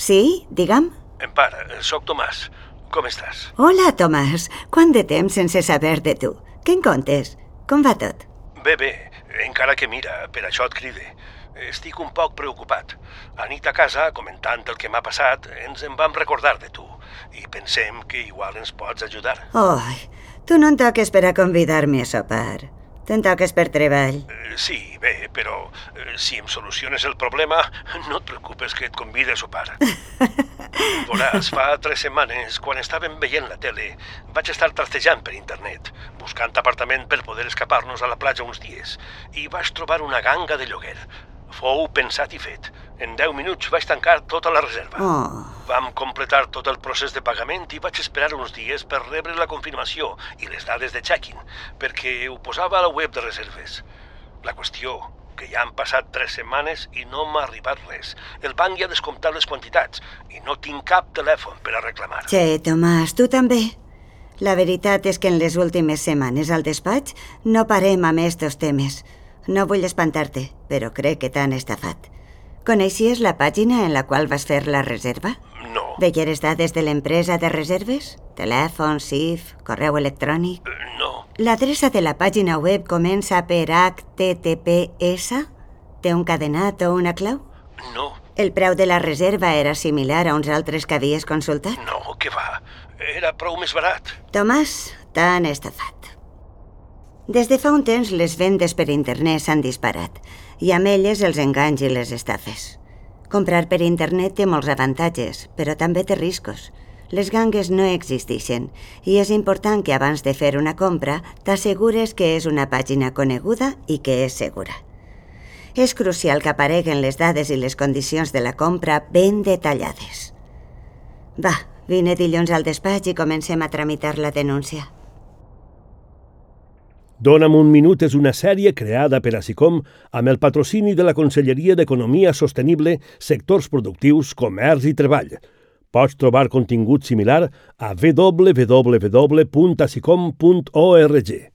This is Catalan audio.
Sí, digue'm. Empar, sóc Tomàs. Com estàs? Hola, Tomàs. Quant de temps sense saber de tu? Què en contes? Com va tot? Bé, encara que mira, per això et cride. Estic un poc preocupat. Anit a casa, comentant el que m'ha passat, ens en vam recordar de tu. I pensem que igual ens pots ajudar. Oi, tu no en toques per a convidar-me a sopar. Te'n toques per treball. Sí, bé, però si em soluciones el problema, no et preocupes que et convide a sopar. Veuràs, fa 3 setmanes, quan estàvem veient la tele, vaig estar trastejant per internet, buscant apartament per poder escapar-nos a la platja uns dies, i vaig trobar una ganga de lloguer. Fou pensat i fet. En 10 minuts vaig tancar tota la reserva. Oh. Vam completar tot el procés de pagament i vaig esperar uns dies per rebre la confirmació i les dades de check-in, perquè ho posava a la web de reserves. La qüestió, que ja han passat 3 setmanes i no m'ha arribat res. El banc ja ha descomptat les quantitats i no tinc cap telèfon per a reclamar. Che, Tomàs, tu també? La veritat és que en les últimes setmanes al despatx no parem amb estos temes. No vull espantar-te, però crec que t'han estafat. Coneixies la pàgina en la qual vas fer la reserva? No. Veieres dades de l'empresa de reserves? Telèfon, CIF, correu electrònic? No. L'adreça de la pàgina web comença per HTTPS? Té un cadenat o una clau? No. El preu de la reserva era similar a uns altres que havies consultat? No, què va? Era prou més barat. Tomàs, t'han estafat. Des de fa un temps les vendes per internet s'han disparat i amb elles els enganys i les estafes. Comprar per internet té molts avantatges, però també té riscos. Les gangues no existeixen i és important que abans de fer una compra t'assegures que és una pàgina coneguda i que és segura. És crucial que apareguen les dades i les condicions de la compra ben detallades. Va, vine dilluns al despatx i comencem a tramitar la denúncia. Dóna'm un minut és una sèrie creada per ASICOM amb el patrocini de la Conselleria d'Economia Sostenible, Sectors Productius, Comerç i Treball. Pots trobar contingut similar a www.asicom.org.